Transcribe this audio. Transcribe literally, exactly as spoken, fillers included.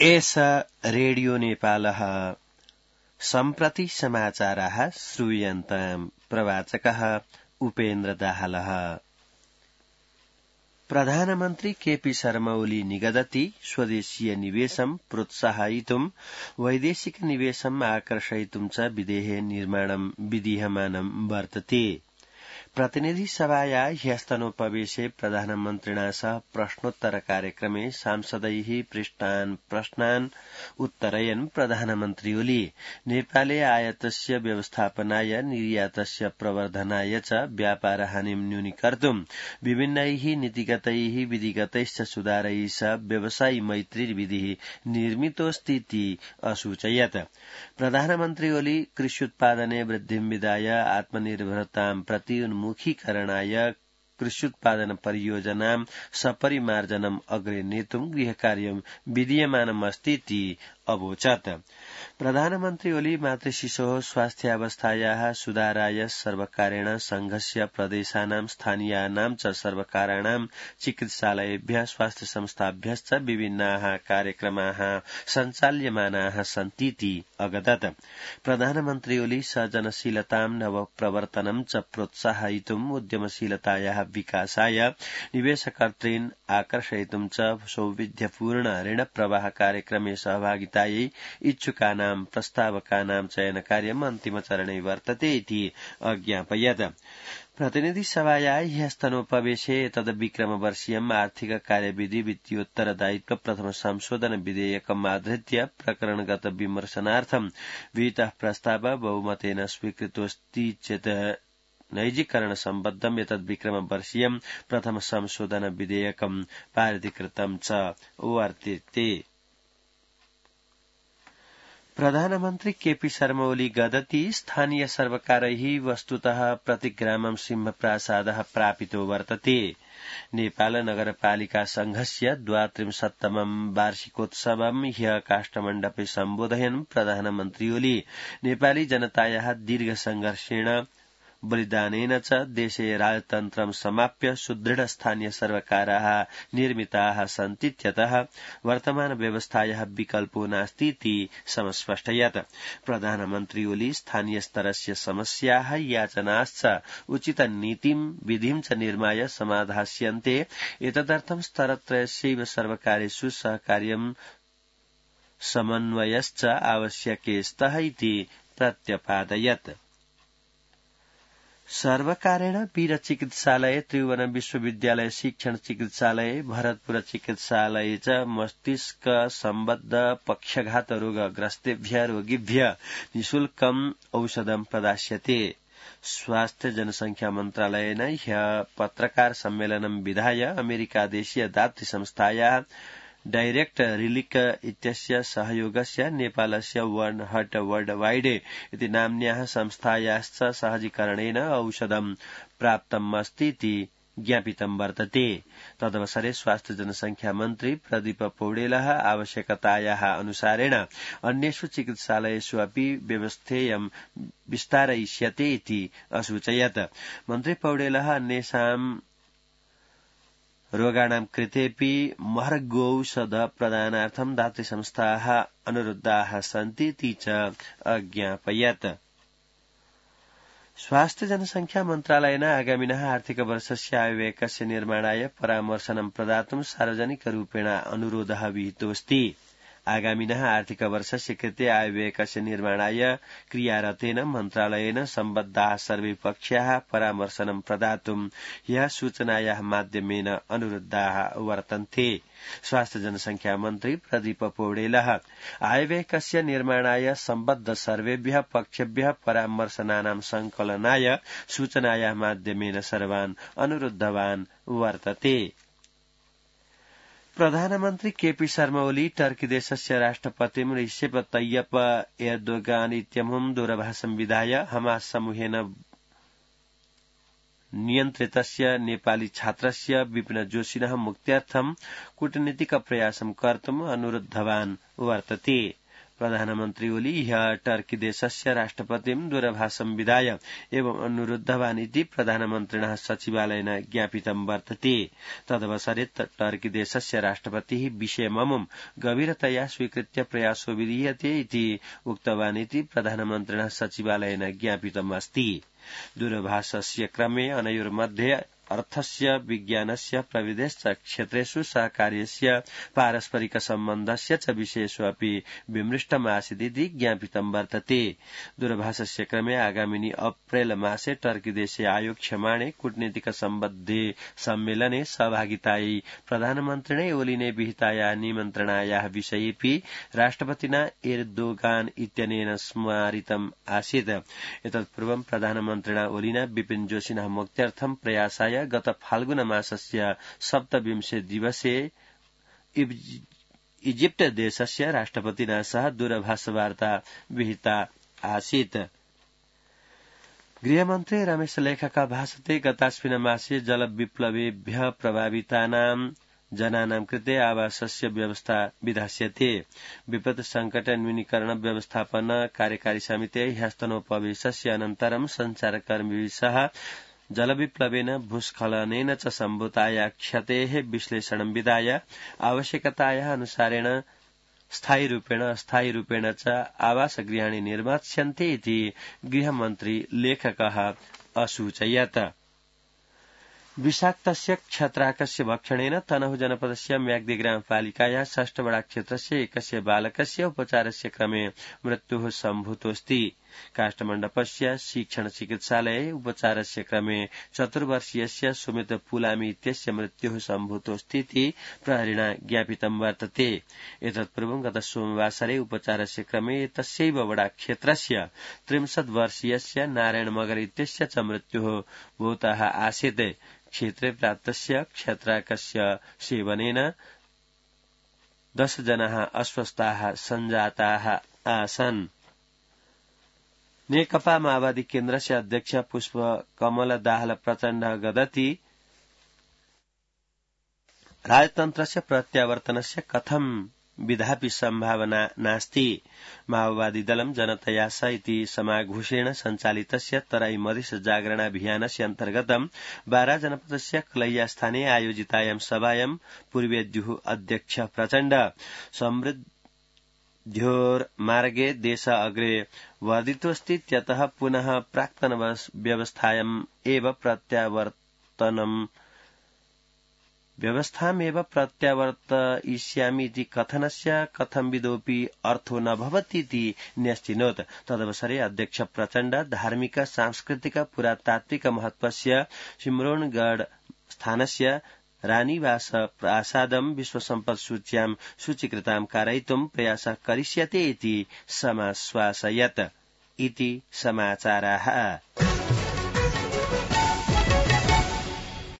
एष रेडियो नेपालः सम्प्रति समाचाराः श्रूयन्ताम्। प्रवाचकः उपेन्द्र दाहालः। प्रधानमन्त्री केपी शर्मा ओली निगदति स्वदेशीय निवेशं प्रोत्साहयितुं वैदेशिक निवेशम् आकर्षयितुं च विधेः निर्माणं विधीयमानं वर्तते। प्रतिनिधि सभाया ह्यस्तनोपवेशे प्रधानमन्त्रिणा सह प्रश्नोत्तर कार्यक्रमे सांसदैः पृष्टान् प्रश्नान् उत्तरयन् प्रधानमन्त्री ओली नेपाले आयातस्य व्यवस्थापनाय निर्यातस्य प्रवर्धनाय च व्यापार हानिं न्यूनीकर्तुं विभिन्नैः नीतिगतैः विधिगतैश्च सुधारैः सह व्यवसायी मैत्री विधिः निर्मितोऽस्तीति असूचयत्। प्रधानमन्त्री ओली कृष्युत्पादने वृद्धिं विधाय आत्मनिर्भरतां प्रति उन्मुखीकरणाय कृष्युत्पादन परियोजनां सपरिमार्जनम् अग्रे नेतुं गृहकार्यं विधीयमानमस्तीति अवोचत्। प्रधानमन्त्री ओली मातृशिशोः स्वास्थ्यावस्थायाः सुधाराय सर्वकारेण संघस्य प्रदेशानां स्थानीयानां च सर्वकाराणां चिकित्सालयेभ्यः स्वास्थ्य संस्थाभ्यश्च विभिन्नाः कार्यक्रमाः सञ्चाल्यमानाः सन्तीति अगदत्। प्रधानमन्त्री ओली सृजनशीलतां नवप्रवर्तनं च प्रोत्साहयितुम् उद्यमशीलतायाः विकासाय निवेशकर्तॄन् आकर्षयितुं च सौविध्यपूर्ण ऋणप्रवाह कार्यक्रमे सहभागितायै इच्छुकानां प्रस्तावकानां चयनकार्यम् अन्तिमचरणे वर्तते इति अज्ञापयत्। प्रतिनिधि सभाया ह्यस्तनोपवेशे एतद्विक्रमवर्षीयम् आर्थिक कार्यविधि वित्तीयोत्तरदायित्व प्रथम संशोधन विधेयकम् आधृत्य प्रकरणगत विमर्शनार्थं विहितः प्रस्ताव बहुमतेन स्वीकृतोऽस्ति चेत् नैजीकरण सम्बद्धम् एतद्विक्रमवर्षीयम् प्रथम संशोधन विधेयकम् पारितीकृतं च वर्तते। प्रधानमन्त्री केपी शर्मा ओली गदति स्थानीय सर्वकारैः वस्तुतः प्रतिग्रामं सिंहप्रासादः प्रापितो वर्तते। नेपाल नगरपालिका संघस्य द्वात्रिंशत्तमं वार्षिकोत्सवं ह्यः काष्ठमण्डपे सम्बोधयन् प्रधानमन्त्री ओली नेपाली जनतायाः दीर्घ संघर्षेण बलिदानेन च देशे राजतन्त्रं समाप्य सुदृढ स्थानीय सर्वकाराः निर्मिताः सन्तीत्यतः वर्तमान व्यवस्थायाः विकल्पो नास्तीति समस्पष्टयत्। प्रधानमन्त्री ओली स्थानीय स्तरस्य समस्याः याचनाश्च उचित नीतिं विधिं च निर्माय समाधास्यन्ते। एतदर्थं स्तरत्रयस्यैव सर्वकारेषु सहकार्यं समन्वयश्च आवश्यके स्तः इति प्रत्यपादयत्। सर्वकारेण वीर चिकित्सालय, त्रिभुवन विश्वविद्यालय शिक्षण चिकित्सालय, भरतपुर चिकित्सालय च मस्तिष्क सम्बद्ध पक्षघात रोगग्रस्तेभ्यः रोगिभ्यः निःशुल्कम् औषधं प्रदास्यते। स्वास्थ्य जनसंख्या मन्त्रालयेन ह्यः पत्रकार सम्मेलनं विधाय अमेरिकादेशीय दातृ संस्थायाः डाइरेक्ट रिलिक इत्यस्य सहयोगस्य नेपालस्य वन हट वर्ल्ड वाइड इति नाम्न्याः संस्थायाश्च सहजीकरणेन औषधं प्राप्तमस्तीति ज्ञापितं वर्तते। तदवसरे स्वास्थ्य जनसंख्या मन्त्री प्रदीप पौडेलः आवश्यकतायाः अनुसारेण अन्येषु चिकित्सालयेषु अपि व्यवस्थेयं विस्तारयिष्यते इति असूचयत्। मन्त्री पौडेलः अन्येषां रोगाणां कृतेऽपि महर्गौषध प्रदानार्थं दातृसंस्थाः अनुरुद्धाः सन्तीति च अज्ञापयत्। स्वास्थ्य जनसंख्या मन्त्रालयेन आगामिनः आर्थिक वर्षस्य आयव्ययकस्य निर्माणाय परामर्शनं प्रदातुं सार्वजनिकरूपेण अनुरोधः विहितोऽस्ति। आगामिनः आर्थिक वर्षस्य कृते आयव्ययकस्य निर्माणाय क्रियारतेन मन्त्रालयेन सम्बद्धाः सर्वे पक्षाः परामर्शनं प्रदातुं ह्यः सूचनायाः माध्यमेन अनुरुद्धाः वर्तन्ते। स्वास्थ्य जनसंख्या मन्त्री प्रदीप पौडेलः आयव्ययकस्य निर्माणाय सम्बद्ध सर्वेभ्यः पक्षेभ्यः परामर्शनानां संकलनाय सूचनायाः माध्यमेन सर्वान् अनुरुद्धवान् वर्तते। प्रधानमन्त्री केपी शर्मा ओली टर्की देशस्य राष्ट्रपतिं रिसेप तय्यप एर्दोगान इत्यमुं दूरभाषं विधाय हमास समूहेन नियन्त्रितस्य नेपाली छात्रस्य विपिन जोशिनः मुक्त्यर्थं कूटनीतिक प्रयासं कर्तुम् अनुरुद्धवान् वर्तते। प्रधानमन्त्री ओली ह्यः टर्की देशस्य राष्ट्रपतिं दूरभाषं विधाय एवं अनुरुद्धवान् इति प्रधानमन्त्रिणः सचिवालयेन ज्ञापितं वर्तते। तदवसरे टर्की देशस्य राष्ट्रपतिः विषयममुं गभीरतया स्वीकृत्य प्रयासो विधीयते इति उक्तवान् इति प्रधानमन्त्रिणः सचिवालयेन ज्ञापितम् अस्ति। दूरभाषस्य क्रमे अनयोर्मध्ये अर्थस्य विज्ञानस्य प्रविधिश्च क्षेत्रेषु सहकार्यस्य पारस्परिक सम्बन्धस्य च विषयेषु अपि विमृष्टमासीदिति ज्ञापितं वर्तते। दूरभाषस्य क्रमे आगामिनि अप्रैल मासे टर्की देशे आयोक्ष्यमाणे कूटनीतिक सम्बद्धे सम्मेलने सहभागितायै प्रधानमन्त्रिणे ओलिने विहितायाः निमन्त्रणायाः विषयेऽपि राष्ट्रपतिना एर्दोगान इत्यनेन स्मारितम् आसीत्। एतत्पूर्वं प्रधानमन्त्रिणा ओलिना विपिन जोशिनः मुक्त्यर्थं प्रयासाय गत फाल्गुन मासस्य सप्तविंशे दिवसे इजिप्ट देशस्य राष्ट्रपतिना सह दूरभाषवार्ता विहिता आसीत्। गृहमन्त्री रमेश लेखका भाषते गतास्मिन् मासे जलविप्लवेभ्यः प्रभावितानां जनानां कृते आवासस्य व्यवस्था विधास्यते। विपत् संकट न्यूनीकरण व्यवस्थापन कार्यकारी समिते ह्यस्तनोपवेशस्य अनन्तरं संचारकर्मिभिः सह जलविप्लवेन भूस्खलनेन च सम्भूताया क्षतेः विश्लेषणं विधाय आवश्यकतायाः अनुसारेण स्थायी रूपेण अस्थायी रूपेण च आवासगृहाणि निर्मास्यन्ते इति गृहमन्त्री लेखकः असूचयत्। विषाक्तस्य क्षत्राकस्य भक्षणेन तनहु जनपदस्य म्याग्दी ग्रामपालिकायाः षष्ठवडा क्षेत्रस्य एकस्य बालकस्य उपचारस्य क्रमे मृत्युः सम्भूतोऽस्ति। काष्ठमण्डपस्य शिक्षण चिकित्सालये उपचारस्य क्रमे चतुर्वर्षीयस्य सुमित पुलामी इत्यस्य मृत्युः सम्भूतोऽस्तीति प्रहरिणा ज्ञापितं वर्तते। एतत्पूर्वं गत सोमवासरे उपचारस्य क्रमे तस्यैव वडा क्षेत्रस्य त्रिंशत् वर्षीयस्य नारायण मगर इत्यस्य च मृत्युः भूतः आसीत्। क्षेत्रे प्राप्तस्य क्षत्राकस्य सेवनेन दश जनाः अस्वस्थाः सञ्जाताः आसन्। नेकपा माओवादी केन्द्रस्य अध्यक्ष पुष्प कमल दाहाल प्रचण्ड गदति राजतन्त्रस्य प्रत्यावर्तनस्य कथं विधापि सम्भावना नास्ति। माओवादी दलं जनतया स इति समाघोषेण सञ्चालितस्य तराई मधेस जागरणाभियानस्य अन्तर्गतं बारा जनपदस्य कलैया स्थाने आयोजितायां सभायां पूर्वेद्युः अध्यक्ष प्रचण्ड समृद्ध्योर्मार्गे देश अग्रे वर्धितोऽस्तीत्यतः पुनः प्राक्तन व्यवस्थायाम् एव प्रत्यावर्तनम् व्यवस्थामेव प्रत्यावर्तयिष्यामि इति कथनस्य कथंविदोऽपि अर्थो न भवतीति न्यस्तिनोत्। तदवसरे अध्यक्ष प्रचण्ड धार्मिक सांस्कृतिक पुरातात्विक महत्वस्य सिम्रोनगढ़ स्थानस्य रानीवास प्रासादं विश्वसम्पद सूच्यां सूचीकृतां कारयितुं प्रयासः करिष्यते इति समाश्वासयत् इति समाचाराः।